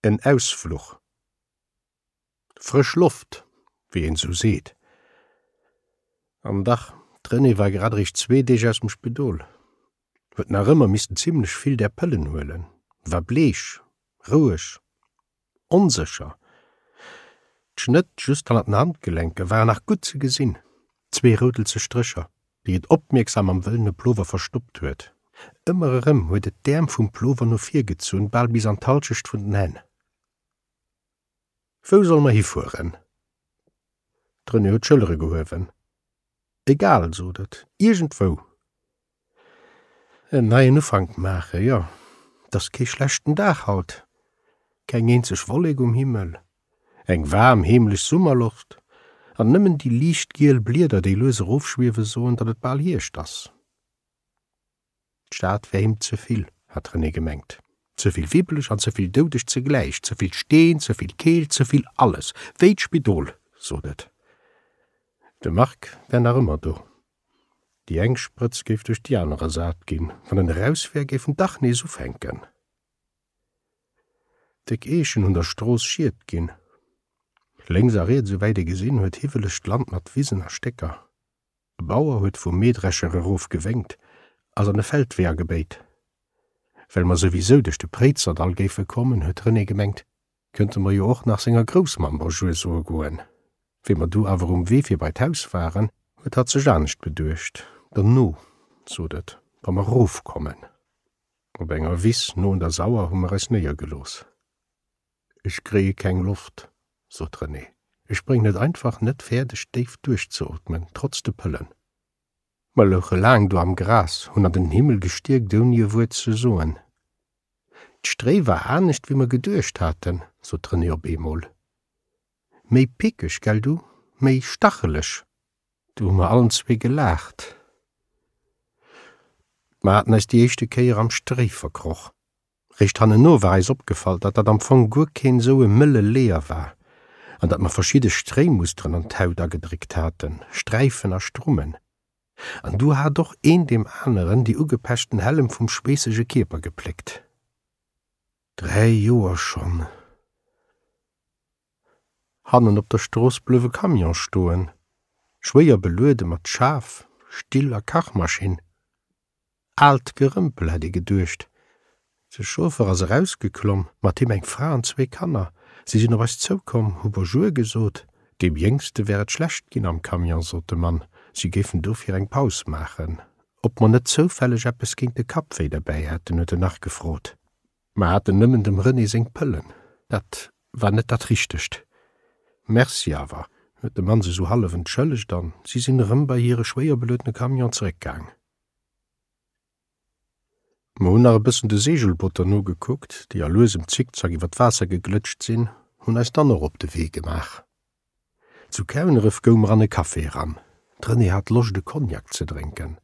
En Ausfluch. Frësch Loft, wéi een sou seet. An dach, d'Renée war grad eréischt zwee Deeg aus dem Spidol, huet nach ëmmer missten zimlech vill där Pëllen huelen, war bleech, roueg, onsécher. D'Schnëtt just hannert den Handgelenker waren nach gutt ze gesinn, zwee roudelzeg Strécher, déi et opmierksam am wëllene Plover verstoppt huet. Ëmmer erëm huet et d'Äerm vum Plover no vir gezunn, bal bis an d'Halschecht vun den Hänn. Wou solle mer hifueren? D'Renée huet d'Schëllere gehuewen. Egal, sot et, iergendwou. En neien Ufank maache, jo, 't ass kee schlechten Dag haut, keng eenzeg Wollek um Himmel, eng waarm, heemlech Summerloft, an nëmmen déi liicht giel Blieder, déi lues erofschwiewe soen, datt et bal Hierscht ass. D'Stad wär him ze vill, hat d'Renée gemengt. Ze vill wibbeleg an ze vill doudeg zegläich, ze vill Steen, ze vill Keelt, ze vill alles. Wéi d'Spidol, sot et. De Marc wär nach ëmmer do. Déi eng Sprëtz géif duerch déi aner ersat ginn. Wann en eraus wär, géif en dach nees ufänken. Déck Eechen hunn der Strooss Schiet ginn. Lénks a riets, esouwäit ee gesinn huet, hiwwelegt Land mat Wisen a Stécker. E Bauer huet vum Mähdrescher erof gewénkt, ass an e Feldwee agebéit. Well mer souwisou duerch de Préizerdall géife kommen, huet Renée gemengt, kënnte mer jo och nach senger Groussmamm Bonjour soe goen. Wéi mer du awer um Wee fir bei d'Haus waren, huet hatt sech anescht beduecht. Derno, sot et, wa mer erofkommen. Op enger Wiss no un der Sauer hu mer eis néiergelooss. Ech kréie keng Loft, sot d'Renée. Ech bréngen et einfach net fäerdeg, déif duerchzeootmen, trotz de Pëllen. Mer louche laang do am Gras, hunn an den Himmel gestierkt, ouni e Wuert ze soen. D'Stréi war anescht, wéi mer geduecht haten, sot d'Renée op eemol. Méi pickeg, gell du? Méi stacheleg. Du hu mer allen zwee gelaacht. Mer haten eis déi éischte Kéier am Stréi verkroch. Réischt hanneno war eis opgefall, datt dat am Fong guer keen esou e mëlle Leeër war an datt mer verschidde Stréimusteren an d'Haut agedréckt haten, Sträifen a Strummen. An du hat och een deem aneren déi ugepechten Hällem vum schweessege Kierper gepléckt. Dräi Joer schonn. Hannen op der Strooss blouf e Camion stoen, schwéier beluede mat Schaf, Still a Kachmaschinn. Aalt Gerëmpel, hätt ee geduecht. De Chauffer ass erausgeklomm, mat him eng Fra an zwee Kanner. Si sinn op eis zoukomm, hu Bonjour gesot. Deem Jéngste wär et schlecht ginn am Camion, sot de Mann, si géifen dofir eng Paus maachen. Ob mer net zoufälleg eppes géint de Kappwéi derbäi hätten, huet en nach gefrot. Mer haten nëmmen dem René seng Pëllen. Dat war net dat Richtegt. Merci awer, huet de Mann sech sou hallef entschëllegt an si sinn erëm bei hire schwéierbeluedene Camion zeréckgaang. Mer hunn nach e bëssen de Seegelbooter nogekuckt, déi a luesem Zickzack iwwer d'Waasser geglëtscht sinn, hunn eis dann och op de Wee gemaach. Zu Kouneref goung mer an e Café eran. D'Renée hat Loscht e Cognac ze drénken.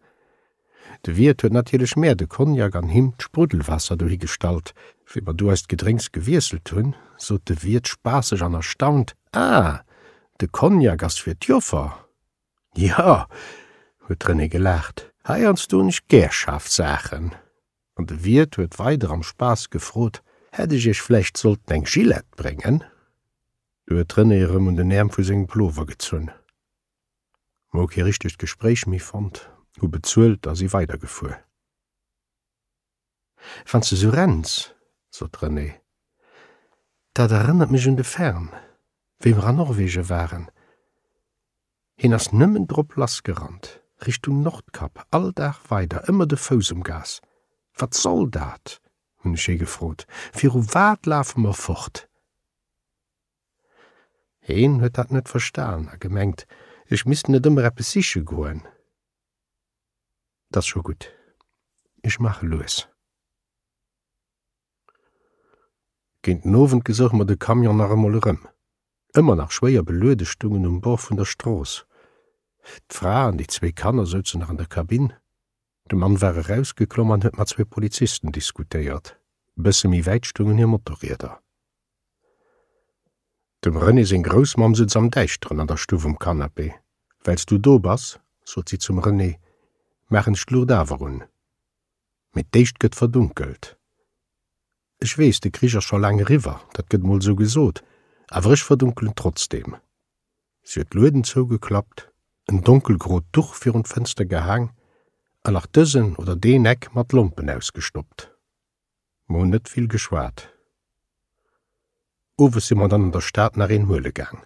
De Wiert huet natierlech mär de Cognac an him d'Spruddelwaasser dohi gestallt. Wéi mer du eist Gedrénks gewiesselt hunn, sot de Wiert spaasseg an erstaunt, Ah, de Cognac ass fir d'Joffer! Jo, huet d'Renée gelaacht, heiansdo hunn ech gär schaarf Saachen. An de Wiert huet weider am Spaass gefrot, Hätt ech iech vläicht sollten eng Gillette bréngen? Du huet d'Renée erëm un den Äerm vu sengem Plover gezunn. Mer hu kee richtegt Gespréich méi fonnt, hu bezuelt a si weidergefuer. Wann s de sou renns, sot d'Renée, dat erënnert mech un de Fern, wéi mer an Norwegen waren. Hien ass nëmmen drop lassgerannt, Richtung Nordkap, all Dag weider, ëmmer de Fouss um Gas. Wat soll dat? hunn ech hie gefrot. Viru wat lafe mer fort? Heen huet dat net verstan a gemengt, ech misst net ëmmer eppes siche goen. 't ass scho gutt, ech maache lues. Géint den Owend gesouche mer de Camion nach emol erëm. Ëmmer nach schwéier beluede stung en um Bord vun der Strooss. D'Fra an déi zwéi Kanner souzen nach an der Kabinn. De Mann war erausgeklomm an huet mat zwee Polizisten diskutéiert. E bësse méi wäit stungen hir Motorrieder. Dem René seng Groussmamm sutz am Däischteren an der Stuff um Canapé. Well s du do bass, sot si zum René, maachen ech d'Luucht awer un. Mee d'éischt gëtt verdunkelt. Ech weess, de Krich ass scho laang eriwwer, dat gëtt mol sou gesot, awer ech verdunkelen trotzdem. Si huet d'Lueden zougeklappt, en donkelgrot Duch virun d'Fënster gehaang an nach dësen oder deen Eck mat Lompen ausgestoppt. Mer hunn net vill geschwat. Owes si mer dann an der Stad nach een huele gaang.